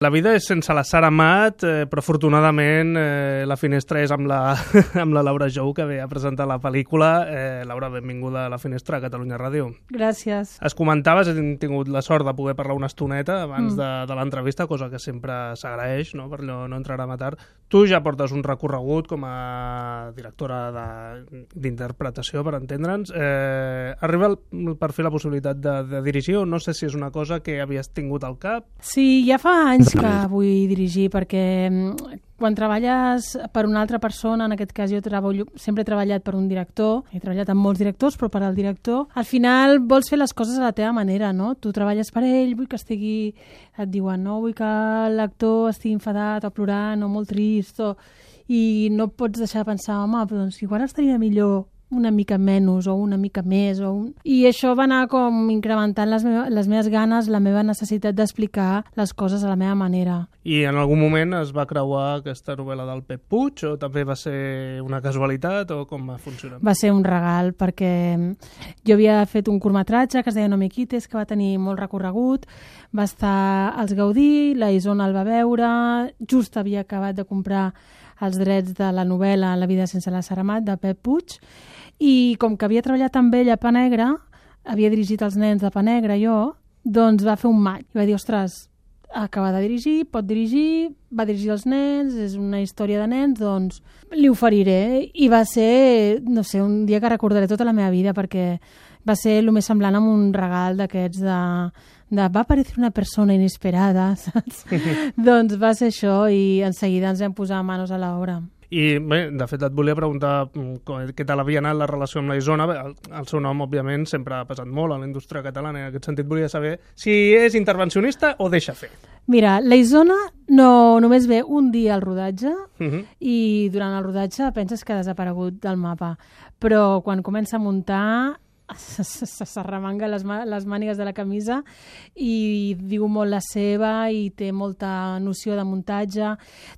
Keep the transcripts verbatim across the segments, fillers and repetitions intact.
La vida és sense la Sara Amat, eh, però afortunadament eh, la finestra és amb la, amb la Laura Jou, que ve a presentar la pel·lícula. Eh, Laura, benvinguda a la finestra a Catalunya Ràdio. Gràcies. Es comentaves, hem tingut la sort de poder parlar una estoneta abans Mm. de, de l'entrevista, cosa que sempre s'agraeix, no? Per allò no entrar a matar. Tu ja portes un recorregut com a directora de- d'interpretació, per entendre'ns. Eh, arriba el, per fer la possibilitat de, de dirigir, o no sé si és una cosa que havies tingut al cap? Sí, ja fa anys que vull dirigir, perquè mm, quan treballes per una altra persona, en aquest cas jo treballo, sempre he treballat per un director, he treballat amb molts directors, però per al director, al final vols fer les coses a la teva manera, no? Tu treballes per ell, vull que estigui, et diuen, no, vull que l'actor estigui enfadat o plorant o molt trist, o... i no pots deixar de pensar, home, però doncs igual estaria millor una mica menys o una mica més. O un... I això va anar com incrementant les, meva, les meves ganes, la meva necessitat d'explicar les coses a la meva manera. I en algun moment es va creuar aquesta novel·la del Pep Puig, o també va ser una casualitat, o com va funcionar? Va ser un regal, perquè jo havia fet un curtmetratge que es deia No me quites, que va tenir molt recorregut, va estar als Gaudí, la Isona el va veure, just havia acabat de comprar els drets de la novel·la La vida sense la Sara Amat, de Pep Puig, i com que havia treballat amb ell a Pa Negre, havia dirigit els nens de Pa Negre jo, doncs va fer un match. I va dir, ostres, acaba de dirigir, pot dirigir, va dirigir els nens, és una història de nens, doncs li oferiré. I va ser, no sé, un dia que recordaré tota la meva vida, perquè va ser el més semblant amb un regal d'aquests de, de va aparèixer una persona inesperada, saps? Doncs va ser això, i en seguida ens vam posar manos a l'obra. I bé, de fet et volia preguntar mm, com- què tal havia anat la relació amb la Isona. Bé, el, el seu nom, òbviament, sempre ha pesat molt a la indústria catalana, i en aquest sentit volia saber si és intervencionista o deixa fer. Mira, la Isona no, només ve un dia al rodatge, Uh -huh. i durant el rodatge penses que ha desaparegut del mapa, però quan comença a muntar s'arremanga les, ma les mànigues de la camisa i diu molt la seva i té molta noció de muntatge.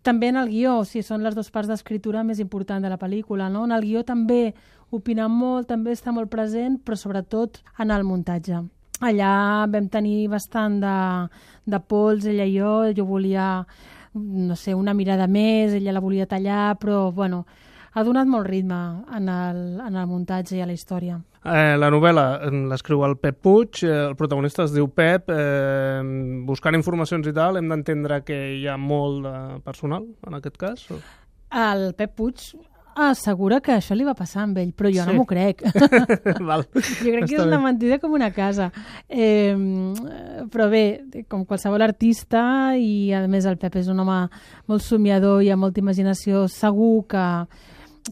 També en el guió, o sigui, són les dues parts d'escriptura més importants de la pel·lícula, no? En el guió també opina molt, també està molt present, però sobretot en el muntatge. Allà vam tenir bastant de, de pols, ella i jo, jo volia, no sé, una mirada més, ella la volia tallar, però, bueno, ha donat molt ritme en el, en el muntatge i a la història. Eh, la novel·la eh, l'escriu el Pep Puig, eh, el protagonista es diu Pep. Eh, buscant informacions i tal, hem d'entendre que hi ha molt de personal, en aquest cas? O... El Pep Puig assegura que això li va passar amb ell, però jo Sí. no m'ho crec. Val. Jo crec que Està és una bé. mentida com una casa. Eh, però bé, com qualsevol artista, i a més el Pep és un home molt somiador i amb molta imaginació, segur que,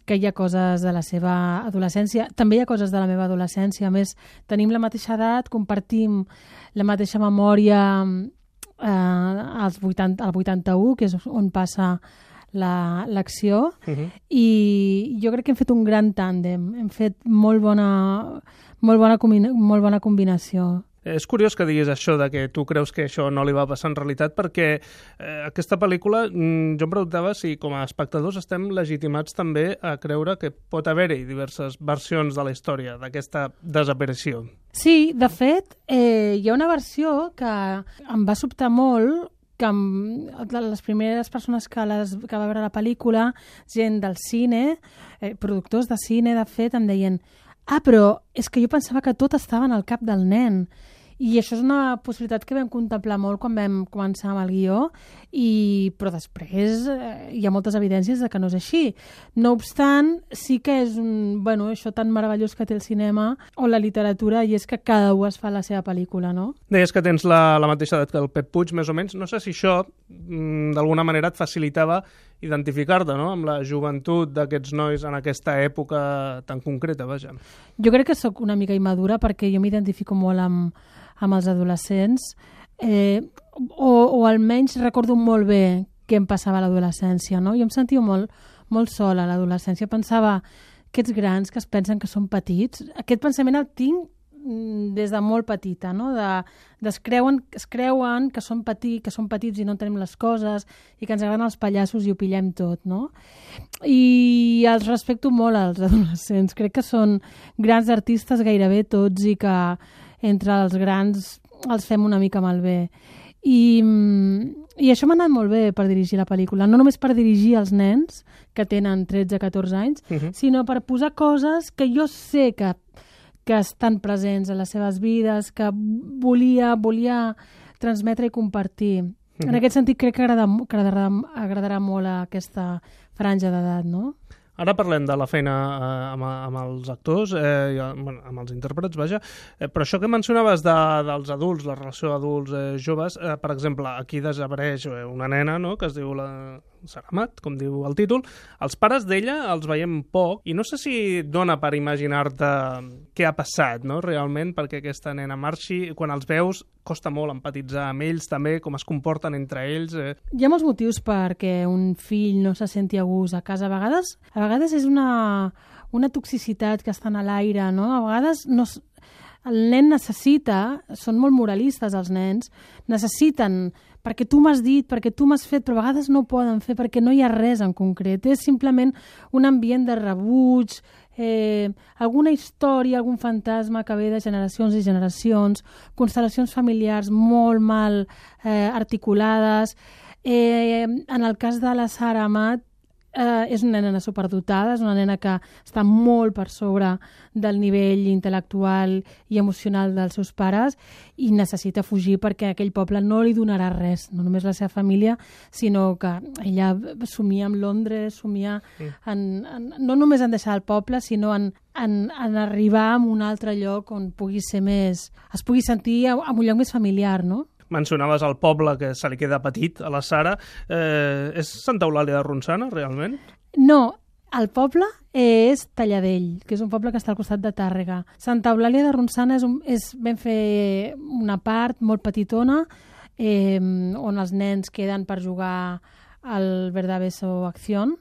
que hi ha coses de la seva adolescència. També hi ha coses de la meva adolescència. A més, tenim la mateixa edat, compartim la mateixa memòria eh, als vuitanta, al vuitanta-u, que és on passa la- l'acció, Uh -huh. i jo crec que hem fet un gran tàndem, hem fet molt bona, molt bona, combina molt bona combinació. És curiós que diguis això, de que tu creus que això no li va passar en realitat, perquè eh, aquesta pel·lícula, mm, jo em preguntava si com a espectadors estem legitimats també a creure que pot haver-hi diverses versions de la història d'aquesta desaparició. Sí, de fet, eh, hi ha una versió que em va sobtar molt, que em, les primeres persones que, les, que va veure la pel·lícula, gent del cine, eh, productors de cine, de fet, em deien ah, però és que jo pensava que tot estava en el cap del nen. I això és una possibilitat que vam contemplar molt quan vam començar amb el guió, i, però després eh, hi ha moltes evidències de que no és així. No obstant, sí que és un, bueno, això tan meravellós que té el cinema o la literatura, i és que cada un es fa la seva pel·lícula, no? Deies que tens la, la mateixa edat que el Pep Puig, més o menys. No sé si això, mm, d'alguna manera, et facilitava identificar-te, no?, amb la joventut d'aquests nois en aquesta època tan concreta, vaja. Jo crec que sóc una mica immadura, perquè jo m'identifico molt amb, amb els adolescents, eh, o, o almenys recordo molt bé què em passava a l'adolescència, no? Jo em sentia molt, molt sola a l'adolescència. Pensava, aquests grans que es pensen que són petits, aquest pensament el tinc mm, des de molt petita, no? De, de es, creuen, es creuen que són, petits, que són petits i no tenim les coses, i que ens agraden els pallassos i ho pillem tot, no? I els respecto molt als adolescents. Crec que són grans artistes gairebé tots, i que entre els grans els fem una mica malbé. I, I això m'ha anat molt bé per dirigir la pel·lícula, no només per dirigir els nens que tenen tretze a catorze anys, uh-huh. sinó per posar coses que jo sé que, que estan presents a les seves vides, que volia, volia transmetre i compartir. Uh-huh. En aquest sentit crec que, agrada, que agradarà, agradarà molt a aquesta franja d'edat, no? Ara parlem de la feina eh, amb, amb els actors, eh, i, bueno, amb els intèrprets, vaja, eh, però això que mencionaves de, dels adults, la relació adults-joves, eh, per exemple, aquí desapareix una nena, no?, que es diu la Saramat, com diu el títol. Els pares d'ella els veiem poc i no sé si dona per imaginar-te què ha passat, no?, realment, perquè aquesta nena marxi. Quan els veus costa molt empatitzar amb ells també, com es comporten entre ells. Eh. Hi ha molts motius perquè un fill no se senti a gust a casa. A vegades, a vegades és una, una toxicitat que està a l'aire, no? A vegades no, el nen necessita, són molt moralistes els nens, necessiten perquè tu m'has dit, perquè tu m'has fet, però a vegades no ho poden fer perquè no hi ha res en concret. És simplement un ambient de rebuig, eh, alguna història, algun fantasma que ve de generacions i generacions, constel·lacions familiars molt mal eh, articulades. Eh, en el cas de la Sara Amat, eh, és una nena superdotada, és una nena que està molt per sobre del nivell intel·lectual i emocional dels seus pares i necessita fugir perquè aquell poble no li donarà res, no només la seva família, sinó que ella somia amb Londres, somia en, en, no només en deixar el poble, sinó en, en, en arribar a un altre lloc on pugui ser més, es pugui sentir en un lloc més familiar, no? Mencionaves el poble que se li queda petit a la Sara. Eh, és Santa Eulàlia de Ronçana, realment? No, el poble és Talladell, que és un poble que està al costat de Tàrrega. Santa Eulàlia de Ronçana és, un, és ben fer una part molt petitona eh, on els nens queden per jugar al Verdaveso Acción,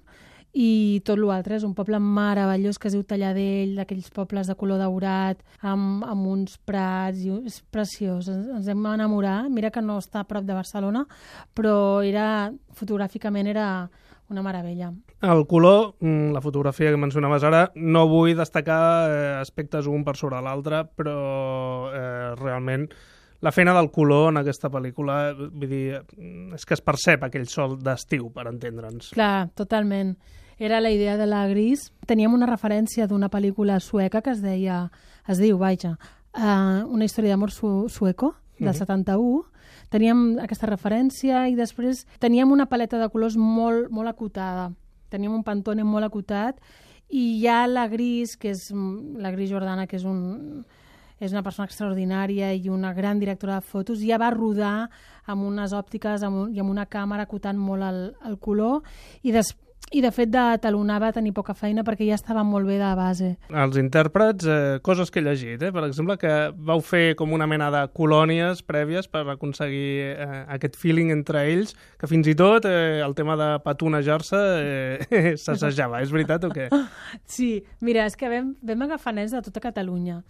i tot l'altre és un poble meravellós que es diu Talladell, d'aquells pobles de color daurat, amb, amb uns prats, i és preciós, ens, ens hem enamorat. Mira que no està a prop de Barcelona, però era, fotogràficament era una meravella. El color, la fotografia que mencionaves ara, no vull destacar eh, aspectes un per sobre l'altre, però eh, realment la feina del color en aquesta pel·lícula, vull dir, és que es percep aquell sol d'estiu, per entendre'ns. Clar, totalment. Era la idea de la gris. Teníem una referència d'una pel·lícula sueca que es deia, es diu, vaja, uh, una història d'amor su sueco, del uh-huh. setanta-u. Teníem aquesta referència i després teníem una paleta de colors molt, molt acotada. Teníem un Pantone molt acotat i hi ha la gris, que és la Gris Jordana, que és un... és una persona extraordinària i una gran directora de fotos, ja va rodar amb unes òptiques amb un, i amb una càmera acotant molt el, el color i, des, i de fet de talonar va tenir poca feina perquè ja estava molt bé de base. Els intèrprets, eh, coses que he llegit, eh? Per exemple, que vau fer com una mena de colònies prèvies per aconseguir eh, aquest feeling entre ells, que fins i tot eh, el tema de petonejar-se eh, s'assajava, és veritat o què? Sí, mira, és que vam, vam agafar nens de tota Catalunya.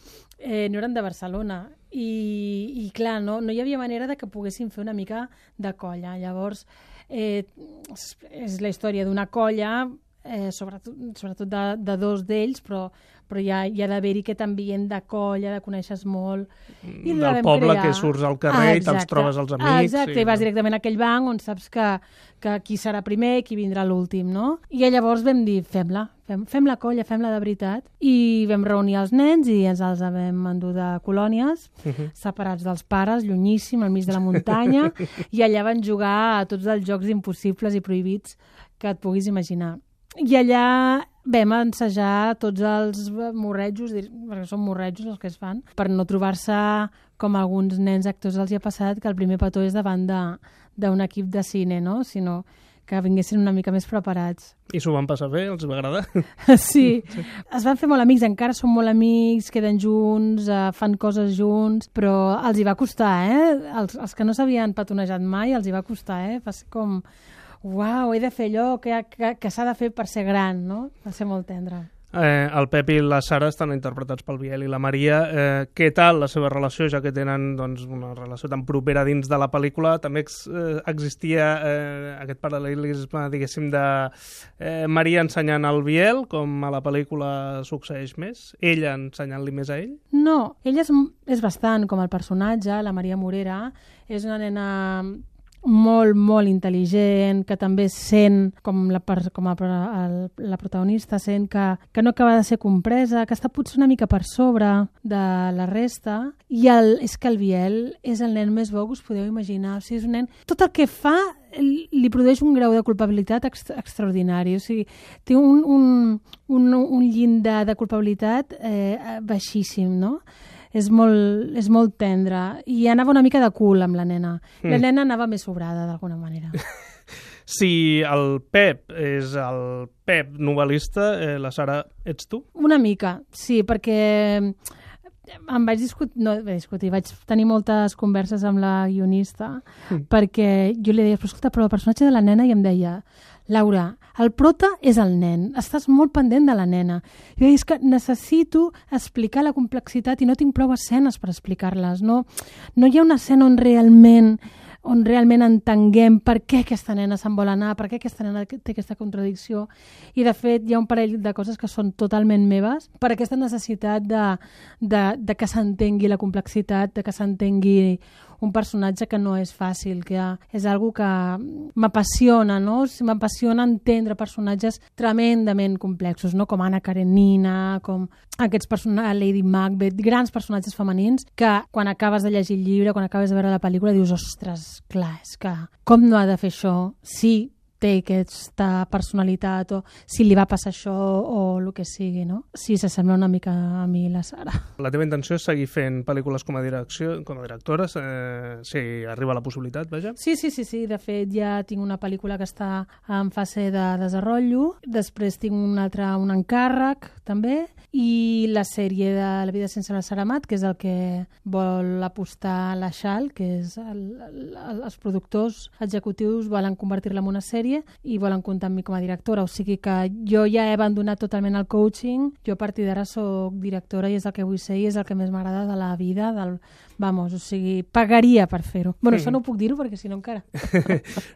Eh, no eren de Barcelona i, i clar, no, no hi havia manera de que poguessin fer una mica de colla. Llavors, eh, és, és la història d'una colla, eh, sobretot, sobretot de, de dos d'ells, però, però hi ha, hi ha d'haver-hi aquest ambient de colla, de coneixes molt. I del poble crear. Que surts al carrer ah, i te'ls trobes els amics. Exacte, i, i vas directament a aquell banc on saps que, que qui serà primer i qui vindrà l'últim, no? I llavors vam dir, fem-la, fem, fem la colla, fem-la de veritat. I vam reunir els nens i ens els vam endur de colònies, uh-huh. separats dels pares, llunyíssim, al mig de la muntanya, i allà van jugar a tots els jocs impossibles i prohibits que et puguis imaginar. I allà vam ensejar tots els morretjos, perquè són morretjos els que es fan, per no trobar-se com alguns nens actors els hi ha passat, que el primer petó és davant d'un equip de cine, no? Sinó que vinguessin una mica més preparats. I s'ho van passar bé? Els va agradar? Sí. sí. Es van fer molt amics, encara són molt amics, queden junts, eh, fan coses junts, però els hi va costar, eh? Els, els que no s'havien petonejat mai, els hi va costar, eh? Va ser com... Uau, he de fer allò que, que, que s'ha de fer per ser gran, no? Va ser molt tendre. Eh, el Pep i la Sara estan interpretats pel Biel i la Maria. Eh, què tal la seva relació, ja que tenen doncs, una relació tan propera dins de la pel·lícula? També ex, eh, existia eh, aquest paral·lelisme, diguéssim, de eh, Maria ensenyant al Biel, com a la pel·lícula succeeix més? Ella ensenyant-li més a ell? No, ella és, és bastant com el personatge, la Maria Morera. És una nena... molt, molt intel·ligent, que també sent, com la, com a, el, la protagonista, sent que, que no acaba de ser compresa, que està potser una mica per sobre de la resta, i el, és que el Biel és el nen més bo que us podeu imaginar. O sigui, és un nen... Tot el que fa li produeix un grau de culpabilitat extra, extraordinari. O sigui, té un, un, un, un llindar de culpabilitat eh, baixíssim, no? És molt, és molt tendre. I anava una mica de cul amb la nena. Mm. La nena anava més sobrada, d'alguna manera. Si el Pep és el Pep novel·lista, eh, la Sara, ets tu? Una mica, sí, perquè... em vaig discutir, no, vaig discutir, vaig tenir moltes converses amb la guionista mm. perquè jo li deia, però escolta, però el personatge de la nena, i em deia, Laura, el prota és el nen, estàs molt pendent de la nena. I jo deia, és que necessito explicar la complexitat i no tinc prou escenes per explicar-les. No, no hi ha una escena on realment on realment entenguem per què aquesta nena se'n vol anar, per què aquesta nena té aquesta contradicció. I, de fet, hi ha un parell de coses que són totalment meves per aquesta necessitat de, de, de que s'entengui la complexitat, de que s'entengui un personatge que no és fàcil, que és algo que m'apassiona, no? M'apassiona entendre personatges tremendament complexos, no? Com Anna Karenina, com aquests personatges, Lady Macbeth, grans personatges femenins que quan acabes de llegir el llibre, quan acabes de veure la pel·lícula, dius, ostres, clar, és que com no ha de fer això? Sí, té aquesta personalitat, o si li va passar això, o el que sigui, no? Sí, s'assembla una mica a mi, la Sara. La teva intenció és seguir fent pel·lícules com a, direcció, com a directora, eh, si arriba la possibilitat, vaja? Sí, sí, sí, sí. De fet, ja tinc una pel·lícula que està en fase de desenvolupament, després tinc un altre, un encàrrec, també, i la sèrie de La vida sense la Sara Amat, que és el que vol apostar la Xal, que és el, el, els productors executius volen convertir-la en una sèrie i volen comptar amb mi com a directora, o sigui que jo ja he abandonat totalment el coaching, jo a partir d'ara soc directora i és el que vull ser i és el que més m'agrada de la vida, del... Vamos, o sigui, pagaria per fer-ho. Bueno, això no ho puc dir-ho perquè si no encara...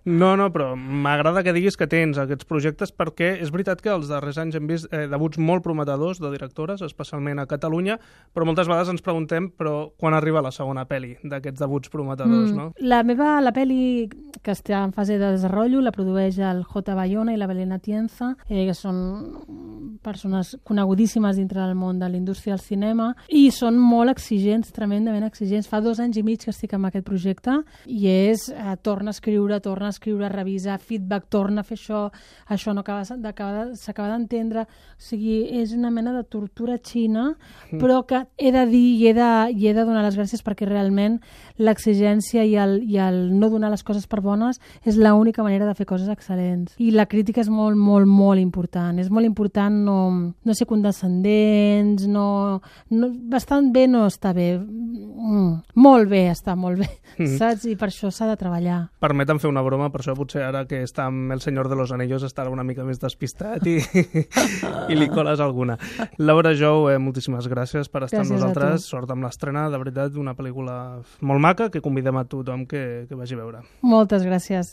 No, no, però m'agrada que diguis que tens aquests projectes perquè és veritat que els darrers anys hem vist eh, debuts molt prometedors de directores, especialment a Catalunya, però moltes vegades ens preguntem però quan arriba la segona pel·li d'aquests debuts prometedors, mm. no? La meva, la pel·li que està en fase de desenvolupament la produeix el J. Bayona i la Belén Atienza, eh, que són persones conegudíssimes dintre del món de la indústria del cinema i són molt exigents, tremendament exigents. Fa dos anys i mig que estic amb aquest projecte i és, eh, torna a escriure, torna a escriure, revisar, feedback, torna a fer això, això no s'acaba d'entendre. O sigui, és una mena de tortura xina, mm. però que he de dir i he de, i he de donar les gràcies perquè realment l'exigència i el, i el no donar les coses per bones és l'única manera de fer coses excel·lents. I la crítica és molt, molt, molt important. És molt important no, no ser condescendents, no, no, bastant bé no està bé. Mm, molt bé, està molt bé, mm. saps? I per això s'ha de treballar. Permetem fer una broma, per això potser ara que està amb El Senyor de los Anillos estarà una mica més despistat i, i li coles alguna. Laura Jou, eh, moltíssimes gràcies per estar gràcies amb nosaltres. Sort amb l'estrena, de veritat, una pel·lícula molt maca que convidem a tothom que, que vagi a veure. Moltes gràcies.